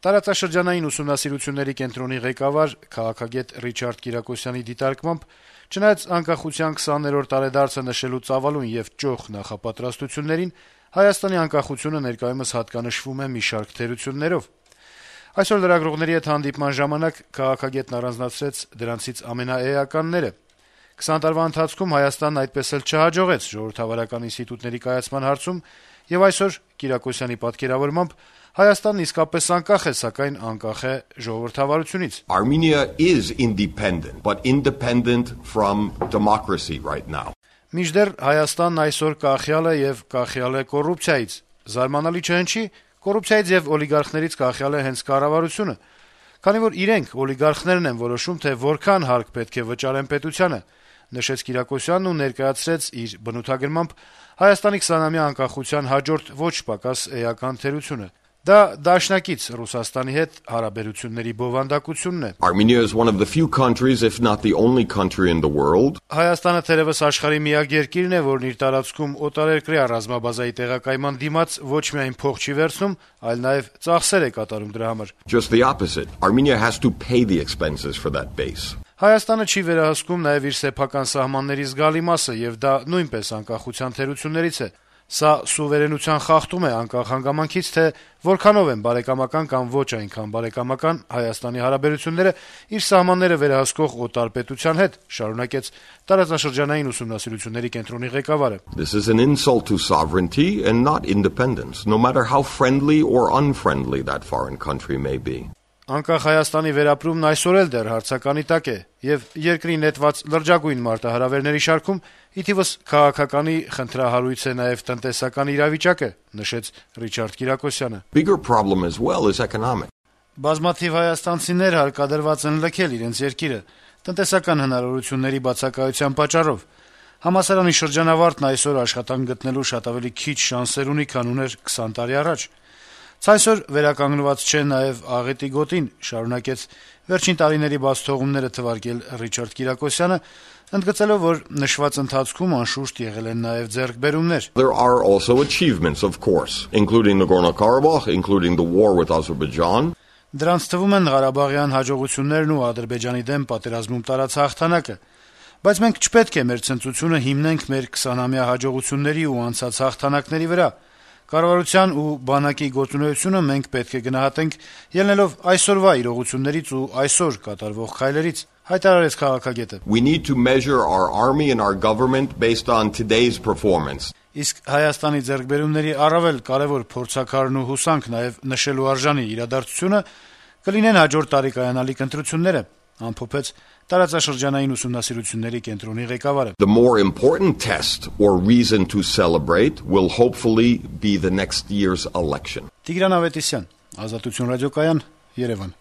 Տարածաշրջանային ուսումնասիրությունների կենտրոնի ղեկավար քաղաքագետ Ռիչարդ Կիրակոսյանի դիտարկմամբ, չնայած անկախության 20-րդ տարեդարձը նշելու ծավալուն եւ ճոխ նախապատրաստություններին, Հայաստանի անկախությունը ներկայումս հատկանշվում է մի շարք թերություններով։ Այսօր լրագրողների հետ հանդիպման ժամանակ քաղաքագետն առանձնացրեց դրանցից ամենաէականները։ 20 տարվա ընթացքում Հայաստանն այդպես էլ չհաջողեց ժողովրդավարական ինստիտուտների կայացման հարցում, եւ այսօր Կիրակոսյանի պատկերավորմամբ Հայաստանն իսկապես անկախ է, սակայն անկախ է ժողովրդավարությունից։ Armenia is independent, but independent from democracy right now. Մինչդեռ Հայաստանն այսօր կախյալ է եւ կախյալ է կոռուպցիայից։ Զարմանալի չհնչի, կոռուպցիայից եւ օլիգարխներից կախյալ է հենց կառավարությունը, քանի որ իրենք օլիգարխներն են որոշում, թե որքան հարկ պետք է վճարեն պետությանը, նշեց Կիրակոսյանն ու ներկայացրեց իր բնութագրմամբ Հայաստանի 20-ամյա անկախության հաջորդ ոչ պակաս էական թերությունը։ Դա դաշնակից Ռուսաստանի հետ հարաբերությունների բովանդակությունն է։ Armenia is one of the few countries, if not the only country in the world. Հայաստանը թերևս աշխարհի միակ երկիրն է, որն իր տարածքում օտարերկրյա ռազմաբազայի տեղակայման դիմաց ոչ միայն փող չի վերցնում, այլ նաև ծախսեր է կատարում դրա համար։ Just the opposite. Armenia has to pay the expenses for that base. Հայաստանը չի վերահսկում նաև իր սեփական սահմանների զգալի մասը, եւ դա նույնպես անկախության թերություններից է։ Սա սուվերենության խախտում է անկախ հանգամանքից, թե որքանով են բարեկամական կամ ոչ այնքան բարեկամական Հայաստանի հարաբերությունները իր սահմանները վերահսկող օտար պետության հետ, շարունակեց տարածաշրջանային ուսումնասիրությունների կենտրոնի ղեկավարը։ This is an insult to sovereignty and not independence, no matter how friendly or unfriendly that foreign country may be. Անկախ Հայաստանի վերապրումն այսօր էլ դեռ հարցականի տակ է, եւ երկրի նետված լրջագույն մարտահրավերների շարքում ի թիվս քաղաքականի խնդրահարույց է նաեւ տնտեսական իրավիճակը, նշեց Ռիչարդ Կիրակոսյանը։ Bigger problem as well is economic. Բազմաթիվ հայաստանցիներ հարկադրված են լքել իրենց երկիրը տնտեսական հնարավորությունների բացակայության պատճառով։ Համալսարանի շրջանավարտն այսօր աշխատանք գտնելու շատ ավելի քիչ շանսեր ունի, քան ուներ 20 տարի առաջ։ Այսօր վերականգնված չէ նաև աղետի գոտին, շարունակեց վերջին տարիների բաց թողումները թվարկել Ռիչարդ Կիրակոսյանը, ընդգծելով, որ նշված ընթացքում անշուշտ եղել են նաև ձեռքբերումներ։ There are also achievements, of course, including Nagorno-Karabakh, including the war with Azerbaijan. Դրանց թվում են Ղարաբաղյան հաջողություններն ու Ադրբեջանի դեմ պատերազմում տարած հաղթանակը։ Բայց մենք չպետք է մեր ցնծությունը հիմնենք մեր 20-ամյա հաջողությունների ու անցած հաղթանակների վրա։ Կառավարության ու բանակի գործունեությունը մենք պետք է գնահատենք ելնելով այսօրվա իրողություններից ու այսօր կատարվող քայլերից, հայտարարեց քաղաքագետը։ We need to measure our army and our government based on today's performance. Իսկ Հայաստանի ձեռքբերումների առավել կարևոր փորձաքարն ու հուսանք նաև նշելու արժանի իրադարձությունը կլինեն հաջորդ տարի կայանալիք ընտրությունները, ամփոփեց տարածաշրջանային ուսումնասիրությունների կենտրոնի ղեկավարը։ The more important test or reason to celebrate will hopefully be the next year's election. Տիգրան Ավետիսյան, Ազատություն ռադիոկայան, Երևան։